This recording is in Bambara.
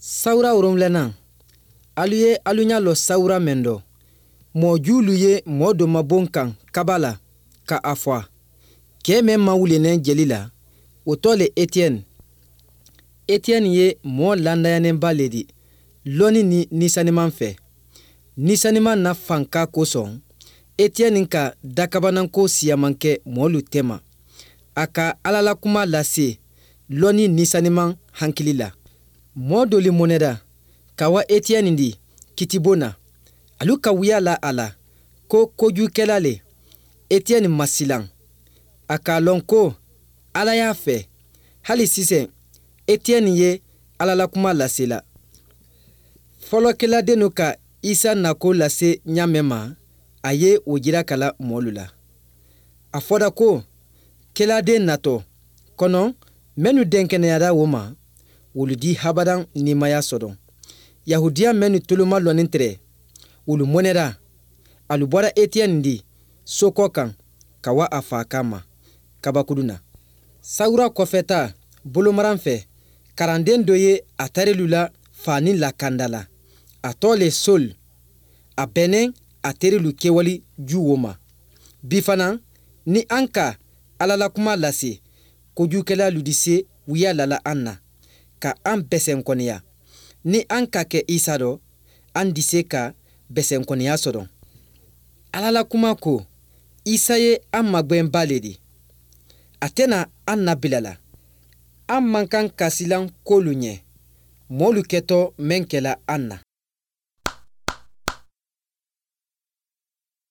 Sawura 7nan, alu ye alu ɲa lɔ sawura mɛn dɔ, mɔɔ juulu ye mɔɔ do mabon kan kaba la ka a fɔ, kɛɛ mɛn mawulenɛn jeli la, o tɔ le Etiɛni. Etiɛni ye mɔɔ landayanenba le di lɔnni ni Ni Saniman fɛ. Ni Saniman na fanka kosɔn, Etiɛni ka dakabananko siyaman kɛ mɔɔlu tɛma. A ka Ala la kuma lase lɔnni Ni Saniman hankili la. Mɔɔ dolu mɔnɛda ka wa Etiɛni di kitibon na. Alu ka wuya la a la ko kojugukɛla le. Etiɛni ma silan. A k'a lɔn ko Ala y'a fɛ. Hali sisan Etiɛni ye Ala la kuma lasela. Fɔlɔ keladennu ka Isa nako lase ɲa mɛn ma, a ye o jira ka la mɔɔlu la. A fɔra ko keladen natɔ kɔnɔ, mɛnnu dɛnkɛnɛyara o ma, wolu di habadan nimaya sɔdɔn. Yahudiya mɛnnu toloma lɔnin tɛrɛ, wolu mɔnɛra. Alu bɔra Etiɛni di so kɔ kan ka wa a faa kama kabakuru na. Sawura kɔfɛta bolomaran fɛ, karanden dɔ ye a tarilu la faani lakanda la. A tɔ le Sol. A bɛnnen a terilu kɛwali juwo ma. Bi fana, ni an ka Ala la kuma lase, kojugukɛlalu di se wuya lala an na, ka an bɛsɛnkɔniya. Ni an ka kɛ Isa dɔ, an di se ka bɛsɛnkɔniya sɔrɔ. Ala la kuma ko Isa ye an magwɛnba le di. A tɛna an nabila la. An man kan ka silan kolu ɲɛ, mɔɔlu kɛtɔ mɛn kɛla an na.